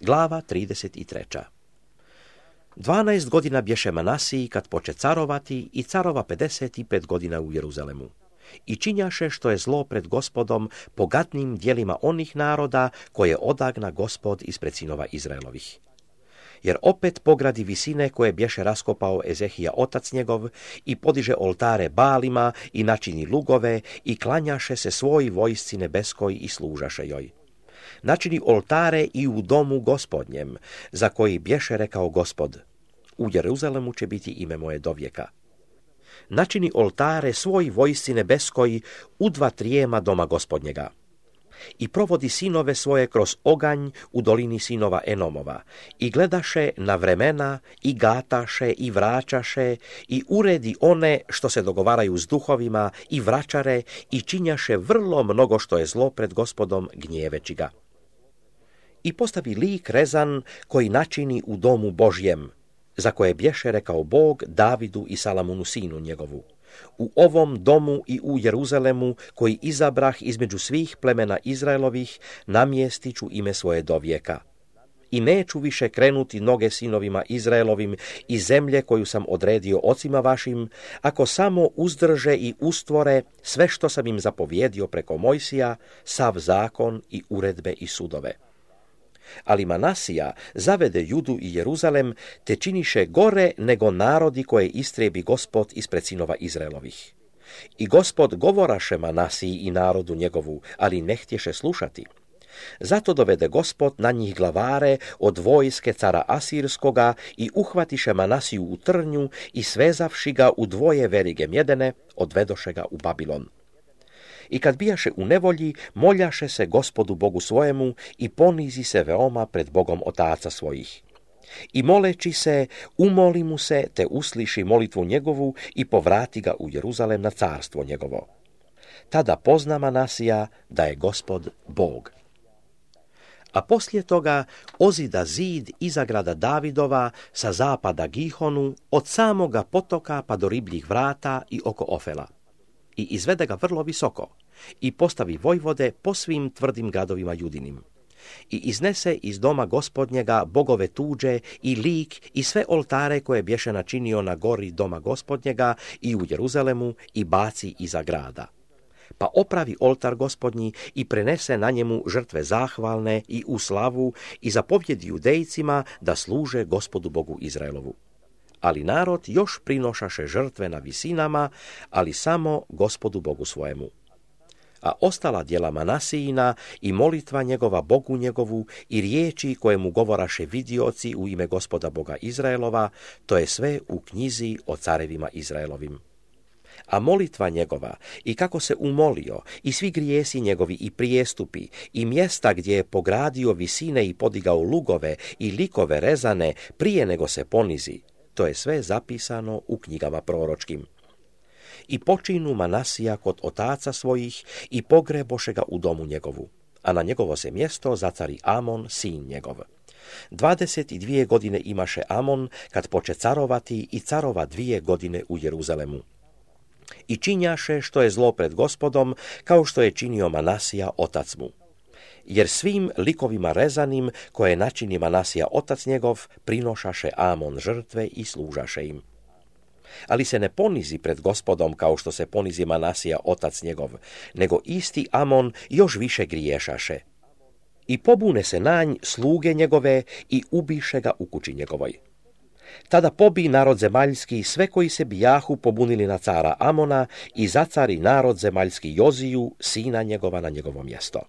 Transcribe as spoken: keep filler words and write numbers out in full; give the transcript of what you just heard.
Glava trideset tri. Dvanaest godina bješe Manasiji kad poče carovati i carova pedeset pet godina u Jeruzalemu. I činjaše što je zlo pred Gospodom pogatnim dijelima onih naroda koje odagna Gospod ispred sinova Izraelovih. Jer opet pogradi visine koje bješe raskopao Ezehija otac njegov i podiže oltare Balima i načini lugove i klanjaše se svoj vojsci nebeskoj i služaše joj. Načini oltare i u domu Gospodnjem, za koji bješe rekao Gospod: u Jeruzalemu će biti ime moje dovijeka. Načini oltare svoj vojsci nebeskoj u dva trijema doma Gospodnjega. I provodi sinove svoje kroz oganj u dolini sinova Enomova i gledaše na vremena i gataše i vraćaše i uredi one što se dogovaraju s duhovima i vraćare i činjaše vrlo mnogo što je zlo pred Gospodom gnjeveći ga. I postavi lik rezan koji načini u domu Božjem, za koje bješe rekao Bog Davidu i Salamunu sinu njegovu: u ovom domu i u Jeruzalemu koji izabrah između svih plemena Izraelovih namjestit ću ime svoje dovijeka. I neću više krenuti noge sinovima Izraelovim iz zemlje koju sam odredio ocima vašim, ako samo uzdrže i ustvore sve što sam im zapovjedio preko Mojsija, sav zakon i uredbe i sudove. Ali Manasija zavede Judu i Jeruzalem, te činiše gore nego narodi koje istrebi Gospod ispred sinova Izraelovih. I Gospod govoraše Manasiji i narodu njegovu, ali ne htješe slušati. Zato dovede Gospod na njih glavare od vojske cara Asirskoga i uhvatiše Manasiju u trnju i svezavši ga u dvoje verige mjedene, odvedoše ga u Babilon. I kad bijaše u nevolji, moljaše se Gospodu Bogu svojemu i ponizi se veoma pred Bogom otaca svojih. I moleći se, umoli mu se, te usliši molitvu njegovu i povrati ga u Jeruzalem na carstvo njegovo. Tada pozna Manasija da je Gospod Bog. A poslije toga ozida zid iza grada Davidova sa zapada Gihonu, od samoga potoka pa do ribljih vrata i oko Ofela. I izvede ga vrlo visoko i postavi vojvode po svim tvrdim gradovima Judinim. I iznese iz doma Gospodnjega bogove tuđe i lik i sve oltare koje bješe načinio na gori doma Gospodnjega i u Jeruzalemu i baci iza grada. Pa opravi oltar Gospodnji i prenese na njemu žrtve zahvalne i u slavu i zapovjedi Judejcima da služe Gospodu Bogu Izraelovu. Ali narod još prinošaše žrtve na visinama, ali samo Gospodu Bogu svojemu. A ostala djela Manasijina i molitva njegova Bogu njegovu i riječi koje mu govoraše vidioci u ime Gospoda Boga Izraelova, to je sve u knjizi o carevima Izraelovim. A molitva njegova i kako se umolio i svi grijesi njegovi i prijestupi i mjesta gdje je pogradio visine i podigao lugove i likove rezane prije nego se ponizi, to je sve zapisano u knjigama proročkim. I počinu Manasija kod otaca svojih i pogreboše ga u domu njegovu, a na njegovo se mjesto zacari Amon, sin njegov. Dvadeset i dvije godine imaše Amon kad poče carovati i carova dvije godine u Jeruzalemu. I činjaše što je zlo pred Gospodom, kao što je činio Manasija otac mu. Jer svim likovima rezanim koje načini Manasija otac njegov prinošaše Amon žrtve i služaše im. Ali se ne ponizi pred Gospodom kao što se ponizi Manasija otac njegov, nego isti Amon još više griješaše. I pobune se na nj sluge njegove i ubiše ga u kući njegovoj. Tada pobi narod zemaljski sve koji se bijahu pobunili na cara Amona i zacari narod zemaljski Joziju, sina njegova, na njegovo mjesto.